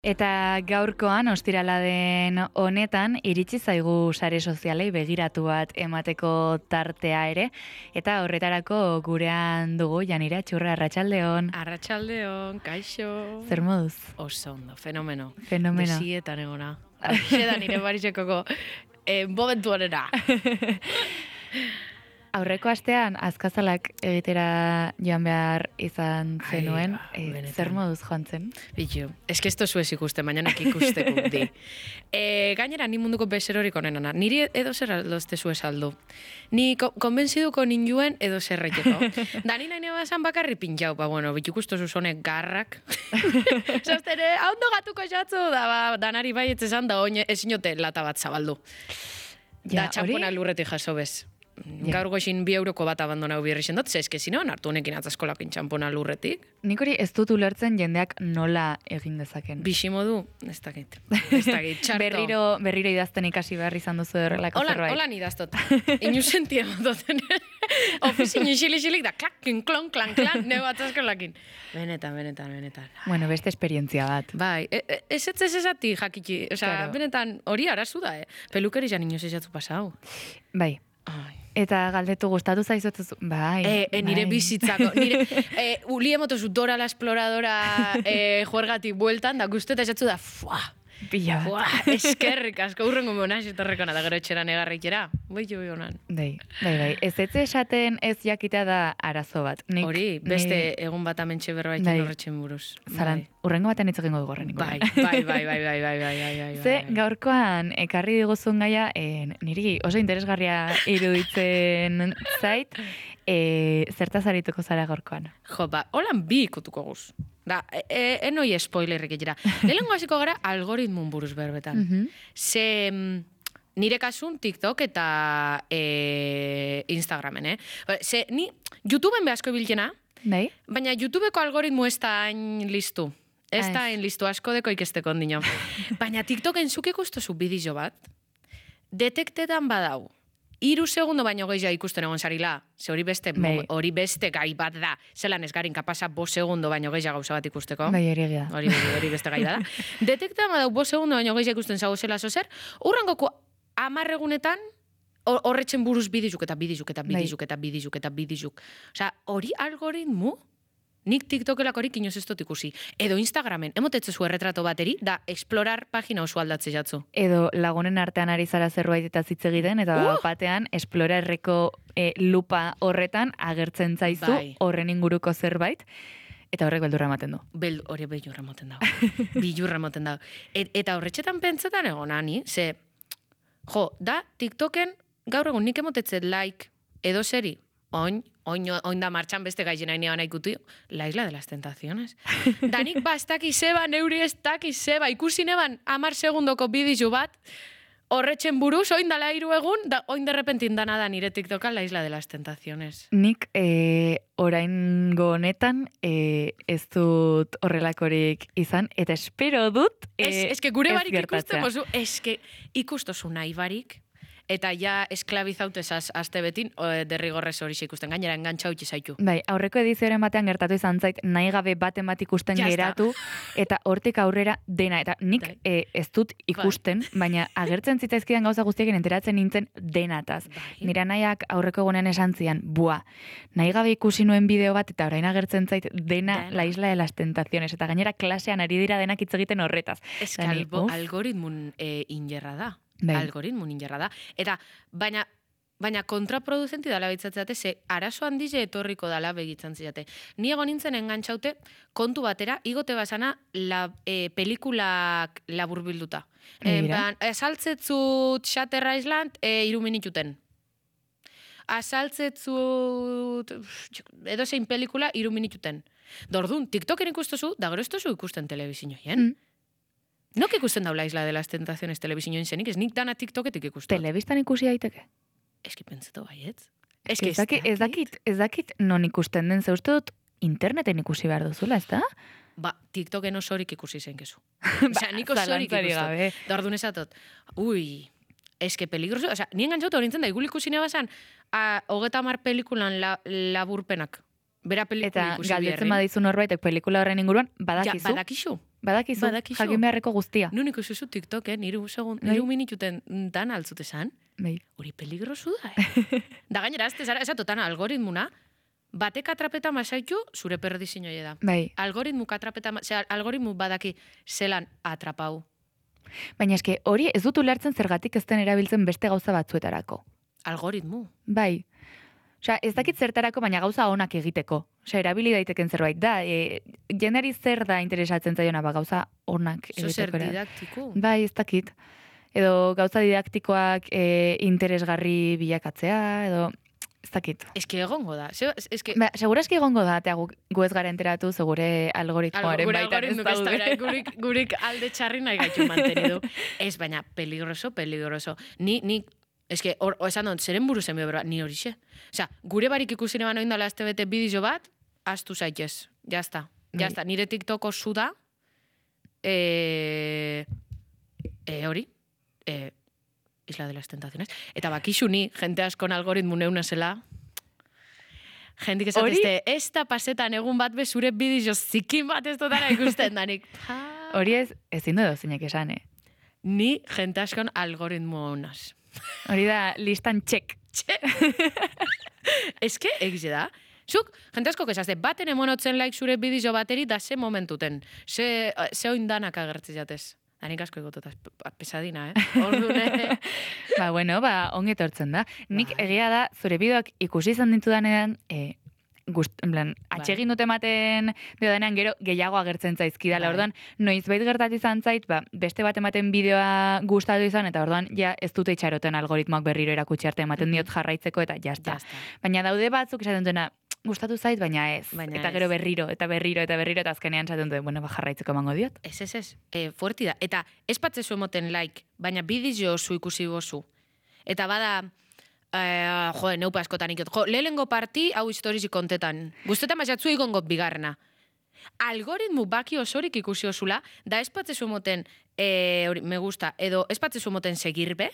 Eta gaurkoan, ostirala den honetan, iritsi zaigu sare sozialei begiratu bat emateko tartea ere, eta horretarako gurean dugu, Janira Txurra, arratsaldeon. Arratsaldeon, kaixo. Zer moduz? Oso ondo, fenomeno. Fenomeno. Desietan egona. Hauxe da nire barizekoko momentu honera. Aurreko astean, azkazalak egitera joan behar izan zenuen, zer moduz joan zen? Bitu, eske esto zuez ikusten, baina nek ikusteko di. Gainera, ni munduko bezerorik onenana. Niri edo zer aldozte zuez aldu. Ni konbentziduko ninjuen edo zerreteko. Da ni nahi nebazan bakarri pintxau, bueno, bitu ikustu zuzonek garrak. Zaztere, hau gatuko jatzu, da danari bai etzezan, da oin ezinote lata bat zabaldu. Da txampona lurretik jaso bez. Gaur goxin 2 euroko bat abandonau birri zendot, zeske zinoan hartu honekin atzaskolapin txampona lurretik. Nik hori ez dut ulertzen jendeak nola egin dezaken. Biximodu, ez dakit, txarto. Berriro idazten ikasi behar izan duzu horrelako zerbait. Holan idaztot. Inu sentien doten. Ofizin xili-xilik da, klak, klon, klan, neu atzaskolakin. Benetan. Bueno, beste esperientzia bat. Bai, ez ezati jakiki, benetan hori arazu da, pelukeri jan inoz ezatzu pasau. Bai. Eta galdetu gustatu zaizutu, bai. Nire bizitzako, uli emotozu Dora la Exploradora juergatik bueltan, da guztu eta esatzu da, Pila bat. Eskerrik asko, urrengo monaz, etorrekona da gero etxera negarrikera. Bai honan. Bai. Ez esaten ez jakitea da arazo bat. Hori, beste egun bat amentxe berbaikin horretxen buruz. Zaran, urrengo batean hitz egingo dugu horren. Bai. Ze, gaurkoan, ekarri diguzun gaia, niri oso interesgarria iruditzen zait, zertaz arituko zara gaurkoan. Jo, holan bi ikutuko guz. Da, enoi spoilerrik egera. Lehenko hasiko gara algoritmun buruz berbetan. Ze nire kasun TikTok eta Instagramen, Ze ni YouTubeen behazko bilkena, baina YouTubeko algoritmu ez da hain listu. Ez da hain listu, asko deko ikesteko ondino. Baina TikToken zuk ikustozu bideo bat, detektetan badau. 3 segundo baino gehiago ikusten egon zarila, ze hori beste gai bat da, zelan ez garin kapasa 5 segundo baino gehiago gauza bat ikusteko. Bai, hori beste gai da. Detekta badau 5 segundo baino gehiago ikusten zago zela zozer, urrangoko 10 egunetan horretzen buruz bidizuk. Osa, hori algoritmu, nik TikTokelak horik inoz ez dut ikusi. Edo Instagramen, emotetzezu erretrato bateri, da explorar pagina oso aldatze jatzu. Edo lagunen artean ari zara zerbait eta zitze egiten, eta batean explorarreko lupa horretan agertzen zaizu horren inguruko zerbait, eta horrek beldurra ematen du. Hori beldurra ematen da. Eta horretxetan pentsetan egonani, ze, da TikToken gaur egun nik emotetzet like edo seri, oin da martxan beste gaizena inean ikutu, La Isla de las Tentaciones. Danik ez dakiz zeba, neuri ez dakiz zeba, ikusi neban 10 segundoko bidizu bat, horretxen buruz, oin dala 3 egun, da oin derrepentin dana da nire TikTokan La Isla de las Tentaciones. Nik oraingo honetan ez dut horrelakorik izan, eta espero dut eske gure barik ikusten bozu, eske ikustozu nahi barik, eta ja esklabizautez azte betin, derrigorrez hori ikusten, gainera engantxa utzi zaitu. Bai, aurreko edizioaren batean gertatu izan zait, nahi gabe baten bat ikusten geratu, eta hortik aurrera dena, eta nik ez dut ikusten, baina agertzen zitzaizkidan gauza guztiekin enteratzen nintzen denataz. Nira nahiak aurreko egunean esan zian, nahi gabe ikusi nuen bideo bat, eta orain agertzen zait dena La Isla de las Tentaciones, eta gainera klasean ari dira denak hitz egiten horretaz. Ez algoritmun ingerra da. Algoritmun ingerra da. Eta, baina kontraproducenti dala behitzatzate, ze arazo handize etorriko dala begitzen zizate. Ni egon nintzen engantxaute kontu batera, igote basana pelikulak laburbilduta. Asaltzetzut Shutter Island 3 minututen. Asaltzetzut edo zein pelikula 3 minututen. Dordun, TikToken ikustozu, da gero ez tozu ikusten telebizinoien. Nok ikusten daula Isla de las Tentaciones telebizinoen zenik, ez nik dana TikToketik ikusten. Telebistan ikusi daiteke? Eski pentsetu baietz. Ez dakit non ikusten den, ze uste dut interneten ikusi behar duzula, ez da? TikToken osorik ikusi zen kezu. Osa, nik osorik ikusten. Da orduan esatot, eske peligroso, osa, nien gantzautu horintzen da, igul ikusi nebazan, 30 pelikulan laburpenak. Bera pelikula ikusi biherri. Eta galdetzen badizu norbaitek pelikula horren inguruan, badakizu. Badakizu. Badakizu, jakin beharreko guztia. Nun ikusi TikToken, 3 minututen dan altzute zan. Hori peligrosu da, Da gainera, ez totan algoritmuna, batek atrapeta masaitu, zure perdizinoi da. Algoritmu badaki zelan atrapau. Baina eske, hori ez dut ulertzen zergatik ez den erabiltzen beste gauza batzuetarako. Algoritmu? Bai. Osea, ez dakit zertarako, baina gauza onak egiteko. Osea, erabili daiteken zerbait da. Jendeari zer da interesatzen zaiona, gauza onak egiteko. Zer didaktiko? Bai, ez dakit. Edo gauza didaktikoak interesgarri bilakatzea, edo ez dakit. Eske egongo da. Segura eski egongo da, eta gu ez gara enteratu, segure algoritmoaren baitan ez daude. Gurik alde txarri nahi gaitu mantenidu. Ez, baina peligroso. Ni eske, esan dut, zeren buru zen behar, ni horixe. Osea, gure barik ikusine bano indala azte bete bideo bat, astu zaitez. Jazta. Nire TikToko zu da, hori, Isla de las Tentaciones. Eta bakixu ni, jente askon algoritmu neuna zela, jentik esatezte, ez da pasetan egun bat bezure bideo zikin bat ez dutara ikusten danik. Hori ezin du zeinek esan, Ni jente askon algoritmu honaz. Hori da, listan txek. Eske, egize da. Zuk, jente asko kesazte, baten emonotzen like zure bideo bateri da ze momentuten. Ze oindanak agertzi jatez. Danik asko egototaz, pesadina, Ordune. Ongi etortzen da. Nik egia da, zure bideoak ikusi izan ditudanean, atxegin dute ematen denean gero gehiago agertzen zaizkidala. Orduan, noizbait gertatu izan zait, beste bat ematen bideoa gustatu izan, eta orduan, ja ez dute itxaroten algoritmoak berriro erakutsi arte ematen diot jarraitzeko, eta jazta. Baina daude batzuk esaten duena, gustatu zait, baina ez. Eta gero berriro, eta azkenean esaten duen, jarraitzeko emango diot. Ez. Fuerti da. Eta ez patzezu emoten like, baina bideo zu ikusi gozu. Eta bada, neupa askotan ikot. Lehengo parti, hau historizi kontetan. Guztetan mazatzu ikongot bigarna. Algoritmu baki osorik ikusi osula, da ez patzezu emoten, me gusta, edo ez patzezu emoten segirbe,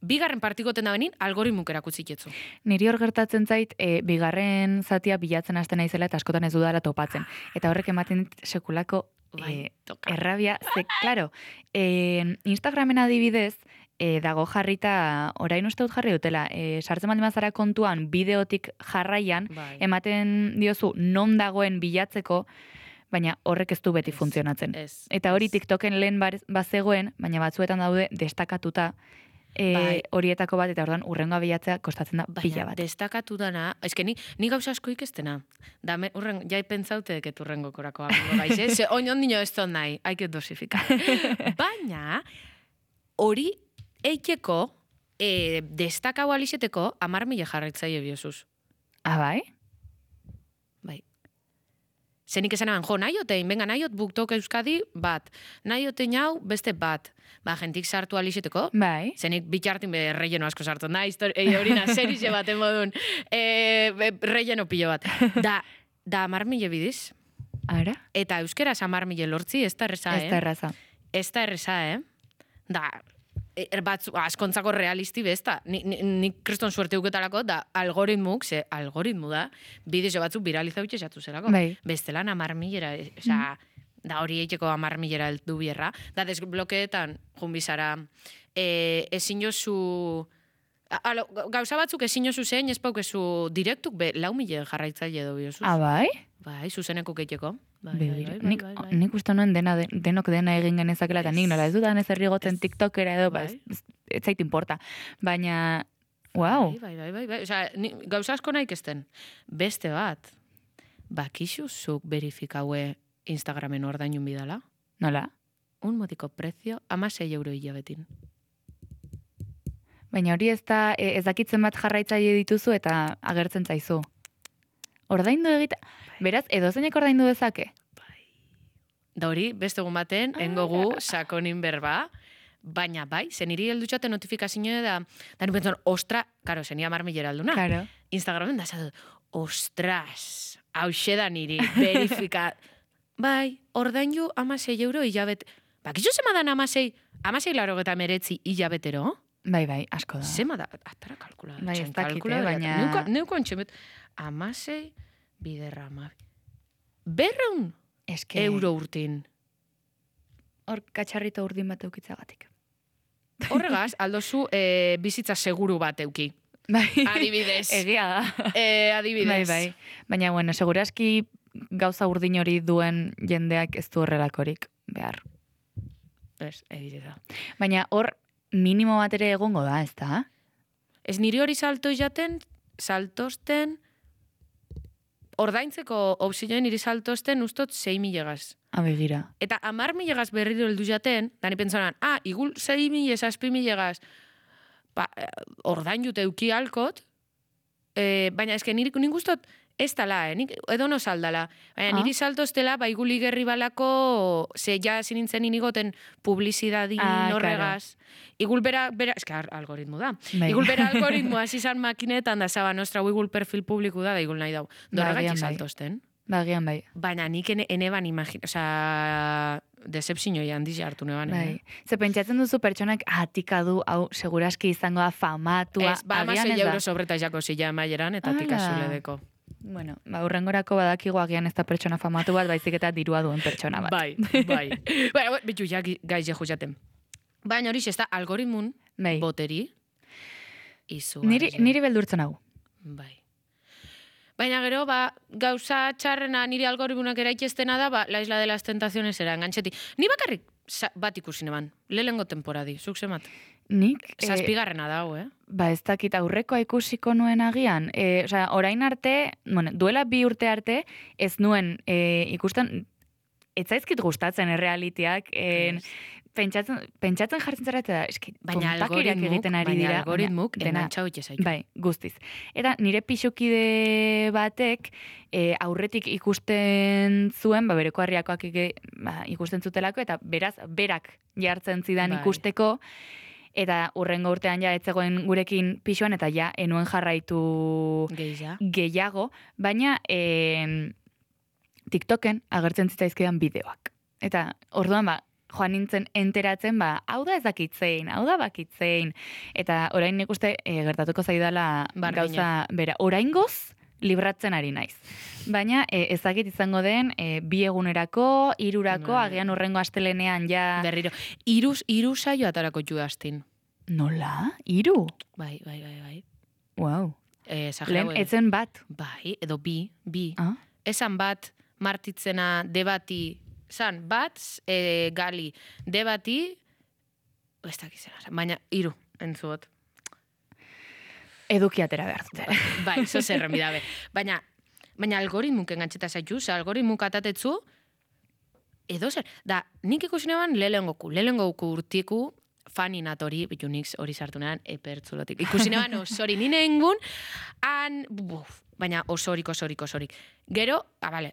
bigarren partikoten da benin, algoritmuk erakutzik jetzu. Niri hor gertatzen zait, bigarren zatia bilatzen hasten naizela eta askotan ez dudala topatzen. Eta horrek ematen sekulako errabia. Klaro, Instagramen adibidez, dago jarrita, orain uste dut jarri dutela, sartzen baldin bazara kontuan bideotik jarraian, ematen diozu non dagoen bilatzeko, baina horrek ez du beti funtzionatzen. Eta hori TikToken lehen bazegoen, baina batzuetan daude destakatuta, horietako bat, eta orduan urrengoa bilatzea kostatzen da pila bat. Destakatu dana, ni gauza asko ikestena. Jai pentsaute deket urrengo korako gaize, ze ondino ez ton nahi, haiket dosifika. Baina, hori eiteko, destakau alizeteko, 10.000 jarraitzaile biozuz. Bai? Bai. Zenik esan eban, nahiotein, venga, nahiot BookTok Euskadi bat, naiotein hau beste bat. Jentik sartu alizeteko. Bai. Zenik bitxartin relleno asko sartu. Horina, serize bat emodun. Relleno pilo bat. Da 10.000 bidiz. Ara? Eta euskeraz 10.000 lortzi, ez da erreza, Ez da erreza, Da, askontzako realisti bezta. Nik kriston suerte uketalako, da algoritmuk, ze algoritmu da, bideo batzuk viralizau txesatu zerako. Bai. Bestelan 10.000, da hori eiteko 10.000 eldu bierra. Da desblokeetan, junbizara, ezin jozu... Gauza batzuk ezin jozu zein, ez paukezu direktuk, 4.000 jarraitzaile edo biozuz. Bai? Bai, zuzeneko keiteko. Nik uste nuen denok dena egin genezakela, eta nik nola ez dudan ez errigotzen TikTokera edo, ez zait importa. Baina, wow. Bai. Osea, gauza asko nahi kesten. Beste bat, bakixu zuk verifikaue Instagramen ordainun bidala? Nola? Un motiko prezio, 16 euro hilabetin. Baina hori ez dakitzen bat jarraitzaile dituzu eta agertzen zaizu. Ordaindu egita... Beraz, edozeinek ordaindu dezake? Bai. Da hori, beste egun baten, engogu sakonin berba, baina bai, zeniri heldutxate notifikazioa da nupentzen, ostra, karo, zenia 10.000 alduna. Claro. Instagramen da, zatu, ostras, hause da niri, verifika... Bai, ordaindu 16 euro hilabet... Bakizu zema dan 16 larogeta meretzi hilabetero? Bai, asko da. Zema da, atara kalkula. Bai, ez dakite, baina... Neuko antxemet, 16 biderra, 200 euro urtin. hor katxarrito urdin bat eukitzagatik. Horregaz, aldozu bizitza seguru bat euki. Bai. Adibidez. Egia da. Adibidez. Bai. Baina, bueno, seguraski gauza urdin hori duen jendeak ez du horrelakorik behar. Ez, egite da. Baina hor minimo bat ere egongo da, ez da? Ez niri hori saltosten, ordaintzeko opzioen niri saltosten ustot 6.000 Abegira. Eta 10.000 berriro heldu jaten, da ni pentsonan, igul 6.000, 7.000, ordain jute euki alkot, baina eske nik ustot ez tala, nik edo no saldala. Baina niri saltostela, igul igerri balako, ze ja zinintzen inigoten publizidadi norregaz. Igul bera, eske algoritmo da. Bai. Igul bera algoritmo izan makinetan da zaba nostra igul perfil publiku da igul nahi dau. Dorregatxe saltosten. Bagian bai. Baina nik eneban decepzio handiz hartu neban. Bai. Ze pentsatzen duzu pertsonak atikadu, hau seguraski izango da famatua. Ez, ba, 6 euro sobreta jako zila emaieran, eta tikazule deko. Bueno, urrengorako badakigu agian ez da pertsona famatu bat, baizik eta dirua duen pertsona bat. Bai. Baina, bitu, ja, gaiz jehu jaten. Baina hori ez da algoritmun boteri. Niri beldurtzen hau. Bai. Baina gero, gauza txarrena niri algoritmunak eraikestena da, la isla de las tentaciones era engantzeti. Ni bakarrik bat ikusi neban, lehengo temporadi, zuk zemat. Nik... Zazpigarrena dago, Ba, ez dakit aurrekoa ikusiko nuen agian. Orain arte, duela 2 urte arte, ez nuen ikusten, ez zaizkit gustatzen errealitiak, pentsatzen jartzen zara, eta eski, tontakeriak egiten ari dira. Baina algoritmuk engantzau itxezaitu. Bai, guztiz. Eta nire pixukide batek aurretik ikusten zuen, bereko harriakoak ikusten zutelako, eta berak jartzen zidan ikusteko, eta urrengo urtean ja etzegoen gurekin pixuan, eta ja enuen jarraitu gehiago, baina TikToken agertzen zitzaizkidan bideoak. Eta orduan joan nintzen enteratzen, hau da ez dakitzein, hau da bakitzein. Eta orain nik uste gertatuko zaidala gauza bera. Oraingoz libratzen ari naiz. Baina ezakit izango den 2 egunerako, 3rako, agian urrengo astelenean ja... Berriro. 3 saio atarako judaztin. Nola? 3? Bai. Wow. Lehen etzen bat. Bai, edo bi. Esan bat martitzena debati, zan bat, gali, debati, ez dakizena, baina 3 entzuot. Edukiatera behar dute. Bai, zo zerren bidabe. Baina algoritmuk engantxeta zaitu, algoritmuk atatetzu, edo zer. Da, nik ikusi neban lehengoku urtiku, faninatori, bitu nik hori sartu neban, epertzulotik. Ikusi neban osori nine engun, baina osorik. Gero,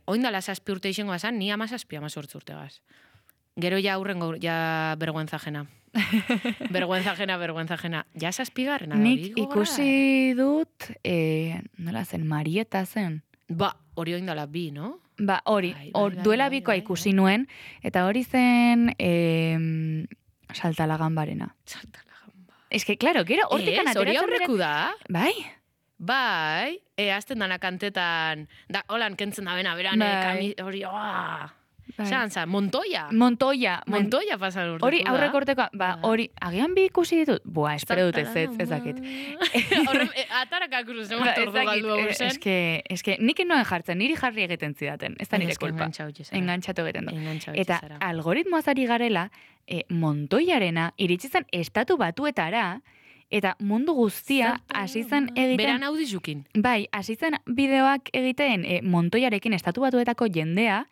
oindala 7 urte izango bazan, ni 17 urtegaz. Gero ja aurrengo, ja vergüenza jena. Vergüenza jena. Ja 7garrena. Nik ikusi dut, nola zen, Marieta zen. Hori oindala 2, no? Hori, duela 2koa ikusi nuen, eta hori zen Saltalaganbarena. Ez que, claro, gero hortikan ateratzen... Hori aurreku da? Bai, azten dana kantetan, da, holan kentzen da bena, beran, hori, Zanza, Montoya pasan urte. Hori aurreko urtekoa, hori, agian 2 ikusi ditut? Espero dut ez dakit. Atarak akuruz, zemat ordu galdu hau zen. Ez que, nik noen jartzen, niri jarri egiten zidaten, ez da nire kulpa. Engantzatu egiten du. Eta algoritmoaz ari garela, Montoyarena iritsi zen estatu batuetara, eta mundu guztia hasi zen egiten... Beran audizukin. Bai, hasi zen bideoak egiten Montoyarekin estatu batuetako jendea,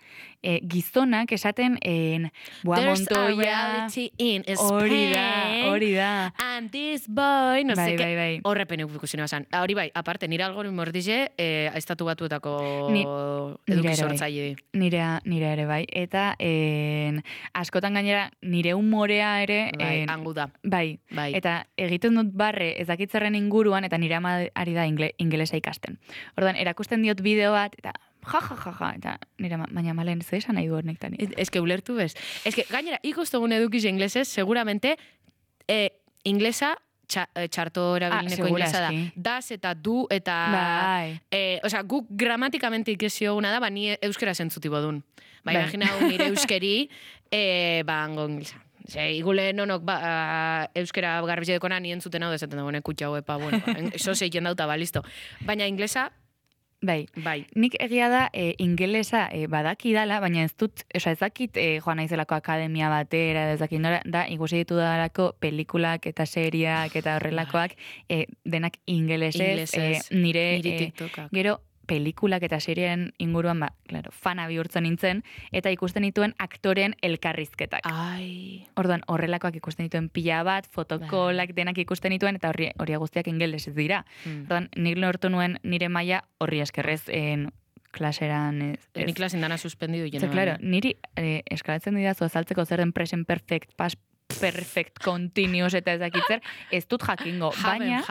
gizonak esaten Montoya... There's a reality in Spain. Hori da. And this boy... No bai, bai. Horrepen ikusi nebasan. Hori bai, aparte, nire algoritmo ordize, estatu batuetako edukizortzaile. Nire ere bai. Eta askotan gainera nire humorea ere... Bai, angu da. Bai. Eta egiten dut barre ezakitzerren inguruan, eta nire ama ari da ingelesa ikasten. Orduan, erakusten diot bideo bat, eta ja, eta nire baina malen ze esan nahi du hornek tani. Ez que ulertu bez. Ez que, gainera, ikustogun edukiz inglesez, seguramente, inglesa txarto erabilineko inglesa da. Das eta du eta... Osea, guk gramatikamente ikesio una da, ni euskera zentzuti bodun. Imagina nire euskeri, hango inglesa. Igule nonok euskera garbizedekona nien zuten hau dezaten dagoen kutxa hau bueno, eso zeiken dauta, listo. Baina inglesa, Bai. Nik egia da ingelesa badaki dala, baina ez dut, ez dakit joan naizelako akademia batera, ez dakit nora, da ikusi ditu dalako pelikulak eta seriak eta horrelakoak denak ingelesez, nire TikTokak. Gero pelikulak eta serien inguruan, claro, fana bihurtzen nintzen, eta ikusten dituen aktoren elkarrizketak. Orduan, horrelakoak ikusten dituen pila bat, fotokolak denak ikusten dituen, eta hori guztiak ingelesez dira. Orduan, nik lortu nuen nire maila horri eskerrez klaseran... Ni klasen dana suspendidu jena. Claro, niri eskalatzen didazu azaltzeko zer den present perfect, past perfect, continuous eta ez dakitzer, ez dut jakingo, baina,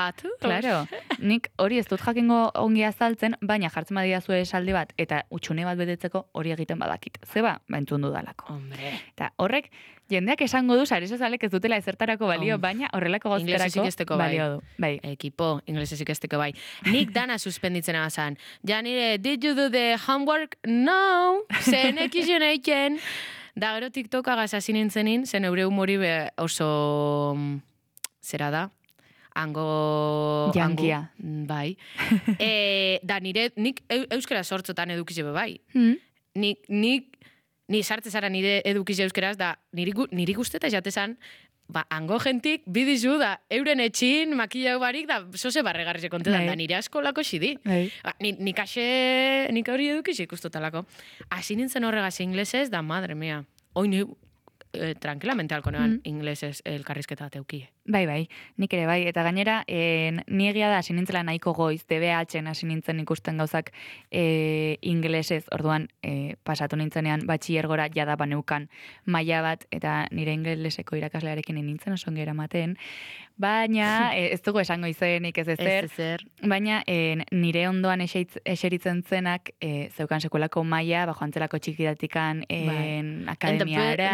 claro, nik hori ez dut jakingo ongi azaltzen, baina jartzen badidazu esaldi bat, eta utxune bat betetzeko hori egiten badakit. Zeba, entzun dudalako. Hombre. Eta horrek, jendeak esango du, sare sozialek ez dutela ezertarako balio, baina horrelako gozterako balio du. Bai. Ekipo, inglesez ikesteko bai. Nik dana suspenditzen abazan. Ja nire, did you do the homework? No! Zen ekizien eiken. Da, gero TikToka gazazin nintzenin, zen eure humori oso... Zera da? Jankia. Bai. Da, nik euskera sortzotan edukize bai. Ni sartze zara nire edukize euskeraz, da, niri guzteta jatezan, hango jentik bidizu da, euren etxin, makillau barik, da, zoze barregarrize kontetan, da, nire askolako xidi. Nik hori edukize ikustotalako. Asi nintzen horregaz inglesez, da, madre mea. Hoi ni tranquilamente alkonean inglesez elkarrizketa teukie. Bai, nik ere bai. Eta gainera, ni egia da hasi nintzela nahiko goiz, DBH-en hasi nintzen ikusten gauzak inglesez, orduan pasatu nintzenean batxillergora jada baneukan maila bat, eta nire ingeleseko irakaslearekin nintzen oso ongi eramaten, baina ez dugu esango izenik ez ezer, baina nire ondoan eseritzen zenak zeukan sekulako maila, joantzelako txikidatikan akademiara,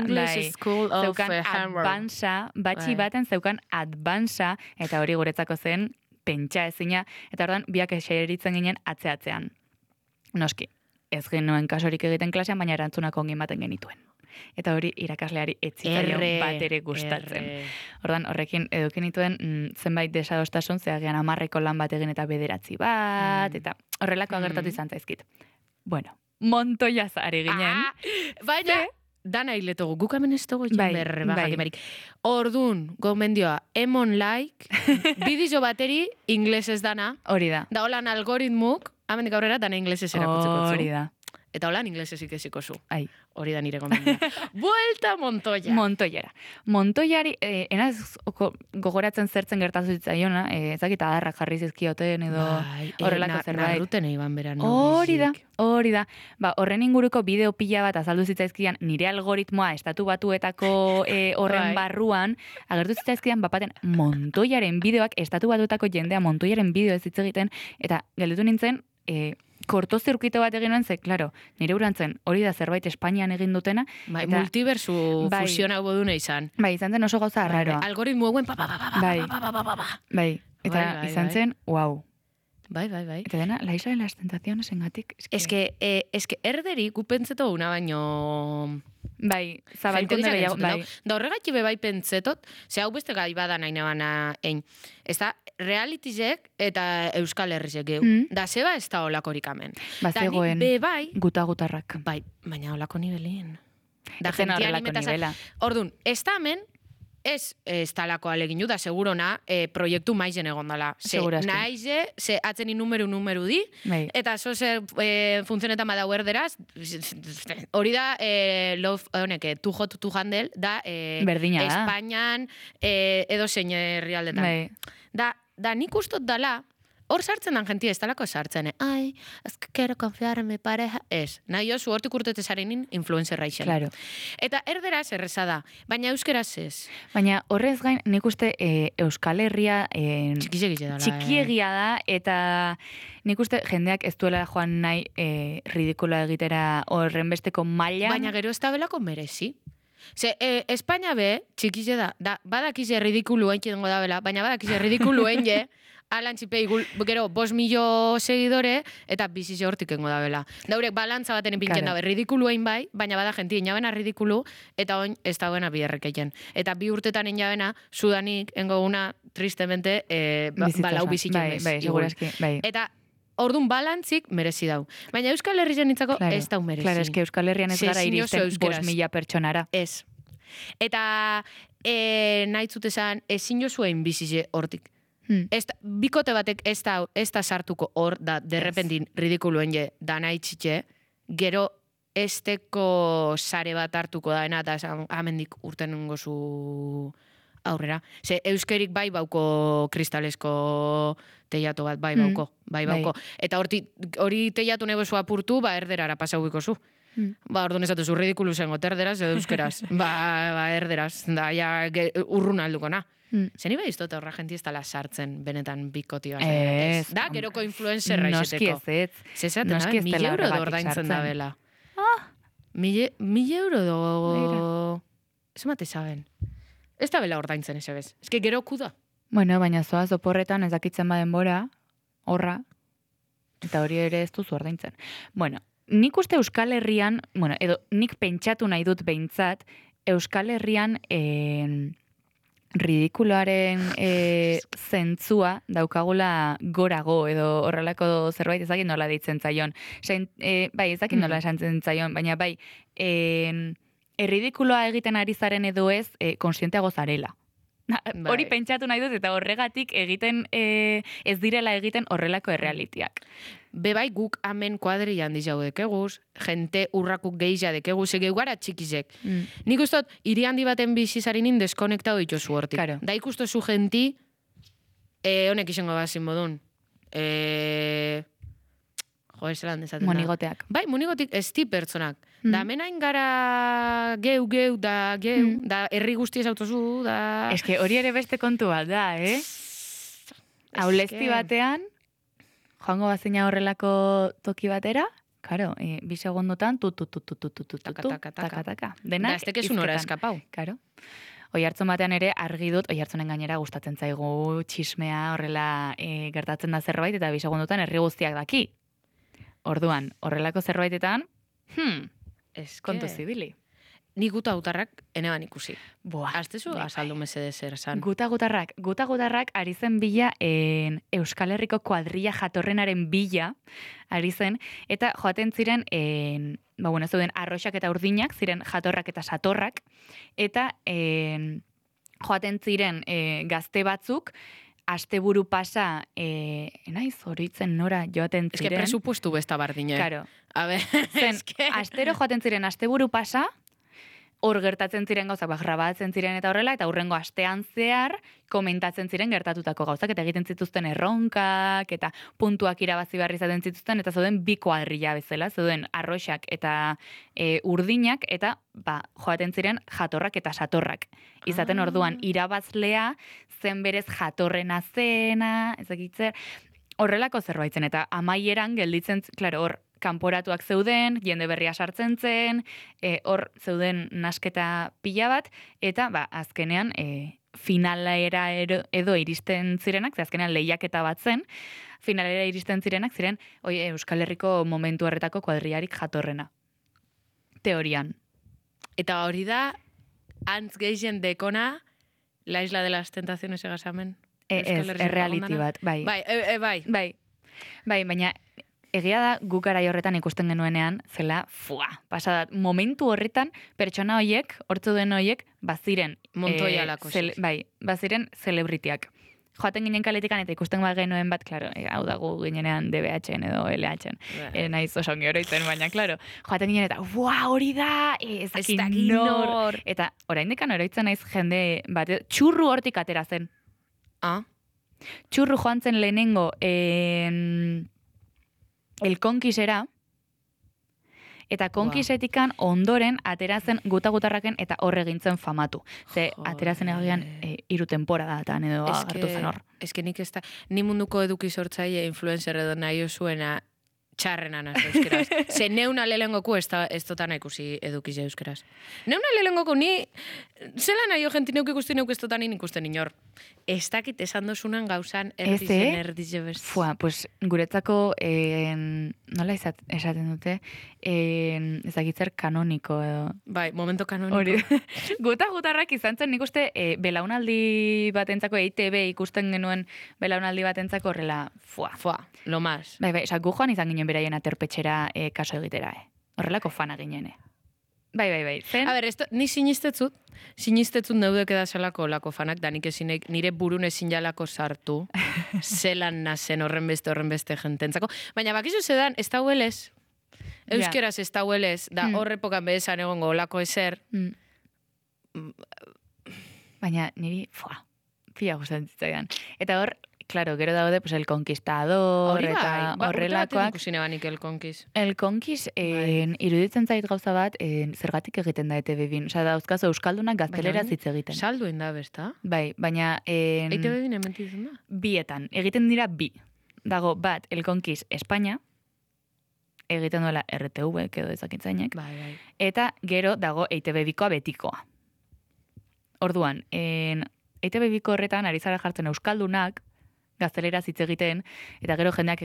zeukan advansa, batxi baten zeukan advansa, eta hori guretzako zen pentsa ezina, eta ordan biak eseritzen ginen atzeatzean. Noski, ez genuen kasorik egiten klasean, baina erantzunak ongi ematen genituen. Eta hori irakasleari etzitzaion bat ere gustatzen. Ordan horrekin edukin nituen zenbait desadostasun, zeagean 10 lan bat egin eta 9 bat, eta horrelako agertatu izan zaizkit. Bueno, montoiaz ari ginen. Baina... Dana hiletogu, guk hemen ez dugu jakimerik. Ordun, gomendioa, emon like, bidizo bateri inglesez dana. Hori da. Da holan algoritmuk, amendik aurrera, dana inglesez erakutzeko zu. Hori da. Eta holan inglesez ikesiko zu. Hori da nire gomendia. Buelta Montoya. Montoyara. Montoyari, enaz gogoratzen zertzen gertatu zitzaiona, ezakit adarrak jarri zizkioten edo horrelako zerbait. Narruten eiban beran. Hori da. Horren inguruko bideo pila bat azaldu zitzaizkian, nire algoritmoa estatu batuetako horren barruan, agertu zitzaizkian, bapaten Montoyaren bideoak, estatu batuetako jendea Montoyaren bideo ez hitz egiten, eta gelditu nintzen, kortozirkuito bat egin nuen, klaro, nire urantzen hori da zerbait Espainian egin dutena. Multiversu fusion hau bodune izan. Izan zen oso gauza arraroa. Algoritmo eguen Bai, eta izan zen, wow. Bai. Eta dena, la isla de las tentaciones engatik. Es que erderi gupentzeto una baino... Bai, zabalkunde gehiago, bai. Da horregatik bai pentsetot, ze hau beste gai bada nahi nabana ein. Ez da, realitizek eta Euskal Herrizek geu. Da zeba ez da olakorik amen. Zegoen gutarrak. Bai, baina olako nibelien. Da zen horrelako nibela. Ordun, ez da amen, ez talako aleginu, da segurona proiektu maizen egon dela. Naize, ze atzeni numeru di, eta zo ze funtzionetan badau erderaz, hori da, tu hot tu handle, da Espainian edo zein herrialdetan. Da nik ustot dala, hor sartzen dan jentia, ez talako sartzen, es que quiero confiar en mi pareja, ez. Nahi oso hortik urtetezarinin influencerra isen. Claro. Eta erderaz erreza da, baina euskeraz ez. Baina horrez gain, nik uste Euskal Herria txikiegia da, eta nik uste jendeak ez duela joan nahi ridikula egitera horren besteko maila. Baina gero ez da belako merezi. Ze, Espainia be, txikize da badakize ridikulu entzitengo da bela, baina badakize ridikulu enge, alantxipei gero 5.000.000 seguidore, eta bizize hortik engo da bela. Daurek balantza baten ipintzen dabe, ridikulu egin bai, baina bada jenti inabena ridikulu, eta oin ez dagoena biherrek egin. Eta 2 urtetan inabena, sudanik, engo una, tristemente, balau bizitzen bai, segurazki, bai. Eta orduan balantzik merezi dau. Baina Euskal Herrian nintzako ez dau merezi. Claro, eske Euskal Herrian ez gara iristen 5.000 pertsonara. Ez. Eta nahi zutezan, ezin jozuen bizize hortik. Bikote batek ez da sartuko hor, da derrepentin ridikuluen je da nahi txitxe, gero esteko sare bat hartuko daena, eta amendik urten gozu aurrera. Ze euskerik bai bauko kristalesko teiato bat, bai bauko. Eta hori teiatu nebozua apurtu, erderara pasauiko zu. Orduan ez datuzu ridikulu zengo, erderaz edo euskeraz. Erderaz, da, ja, urrun alduko, na. Zeni bai iztot horra jenti ez dala sartzen benetan bikotioa. Ez. Da, geroko influencerra izeteko. Noski ez. Zezaten da, 1.000 euro da ordaintzen da bela. 1.000 euro do... Ez mate zaben. Ez da bela ordaintzen ez ebez. Ez que gero kuda. Bueno, baina zoaz oporretan ez dakitzen baden bora, horra, eta hori ere ez duzu ordaintzen. Bueno, nik uste Euskal Herrian, bueno, edo nik pentsatu nahi dut behintzat, Euskal Herrian ridikuloaren zentzua daukagula gorago edo horrelako zerbait ezakit nola ditzen zaion. Bai, ezakit nola esantzen zaion, baina bai, erridikuloa egiten ari zaren edo ez, konsienteago zarela. Hori pentsatu nahi dut eta horregatik egiten ez direla egiten horrelako errealitiak. Bebai guk amen kuadrian dizau dekeguz, jente urrakuk gehizia dekeguz, egeu gara txikizek. Nik ustot, hiri handi baten bizizarinin deskonektado dituzu hortik. Claro. Da ikustozu genti, honek izango bazin modun. Zelan dezaten da. Monigoteak. Bai, monigotik ez di pertsonak. Da menain gara geu, da herri guzti ez autozu, da... Ez que hori ere beste kontu bat da, Aulezti batean, joango bazina horrelako toki batera, karo, bi segundotan, taka. Denak, da, ez tekezun hora eskapau. Karo. Oihartzun batean ere argi dut, oihartzunen gainera gustatzen zaigu txismea horrela gertatzen da zerbait, eta bi segundotan herri guztiak daki. Orduan, horrelako zerbaitetan, kontu zibili. Ni guta gutarrak eneban ikusi. Boa. Aztezu azaldu mesede zer esan. Guta gutarrak ari zen bila Euskal Herriko kuadrilla jatorrenaren bila ari zen, eta joaten ziren, zeuden arroxak eta urdinak, ziren jatorrak eta satorrak, eta joaten ziren gazte batzuk, asteburu pasa, naiz horitzen nora joaten ziren. Ez que presupuestu besta bardine. Claro. A ver, astero joaten ziren asteburu pasa, hor gertatzen ziren gauzak, grabatzen ziren eta horrela, eta hurrengo astean zehar komentatzen ziren gertatutako gauzak, eta egiten zituzten erronkak, eta puntuak irabazi behar izaten zituzten, eta zeuden bi kuadrilla bezala, zeuden arroxak eta urdinak, eta joaten ziren jatorrak eta satorrak. Izaten orduan, irabazlea zen berez jatorrena zena, ezakitzer, horrelako zerbaitzen, eta amaieran gelditzen, klaro, hor, kanporatuak zeuden, jende berria sartzen zen, hor zeuden nasketa pila bat, eta azkenean finalera edo iristen zirenak, azkenean lehiaketa bat zen, finalera iristen zirenak ziren Euskal Herriko momentu horretako kuadrillarik jatorrena. Teorian. Eta hori da, antz gehien dekona, La Isla de las Tentaciones egasamen? Ez, errealiti bat, bai. Bai, baina egia da guk garai horretan ikusten genuenean, zela, pasadat, momentu horretan, pertsona hoiek, hortzu den hoiek, baziren... Montoya lako. Baziren celebritiak. Joaten ginen kaletikan eta ikusten genuen bat, klaro, hau dago ginenean DBH-en edo LH-en. Naiz osongi oroitzen, baina, klaro, joaten ginen eta, hori da, ez dakit nor. Eta oraindikan oroitzen naiz jende bat, txurru hortik atera zen. Txurru joan zen lehenengo elkonkisera, eta konkisetikan ondoren aterazen gutarraken eta horre gintzen famatu. Ze aterazen egian 3 temporadatan edo agertu zen hor. Ez que nik ez da, ni munduko eduki sortzaile influencer edo nahi osuena txarrena naz euskeraz. Ze neuna lehengoku ez dotan ikusi edukiz euskeraz. Neuna lehengoku ni, zela nahi jenti neuk ikusten neuk ez dotan ikusten inor. Ez dakit esan dozunan gauzan erdize best. Fua, pues guretzako, nola esaten dute, ez dakitzer kanoniko edo. Bai, momento kanoniko. Hori, gutarrak izan zen nik uste belaunaldi batentzako, EITB ikusten genuen belaunaldi batentzako horrela, fua. Lo más. Bai, esak gu joan izan ginen beraien aterpetxera kaso egitera, Horrelako fana ginen, Bai. Zen? A ber, ni sinistetzut neudek edazelako lako fanak, da nik ezinek nire burun ezin jalako sartu, zelan nazen horren beste jententzako. Baina bakizu zedan, ez da huelez, euskeraz ez da huelez, da horrepokan behezan egongo lako ezer. Baina niri, pila gustatzen zitzaidan. Eta hor, claro, gero daude, pues, El Conquistador, eta horrelakoak. Urte banik El Conquist. El Conquist, iruditzen zait gauza bat, zergatik egiten da ETV-bin. Osa, dauzkazu euskaldunak gaztelera hitz egiten. Saldu da, besta? Bai, baina... ETV-bin ementitzen da? Bietan, egiten dira bi. Dago, bat, El Conquist Espanya, egiten duela RTV, edo ezakitzainek. Bai. Eta gero dago EITB-bikoa betikoa. Orduan, EITB-biko horretan ari zara jartzen euskaldunak, gaztelera hitz egiten, eta gero jendeak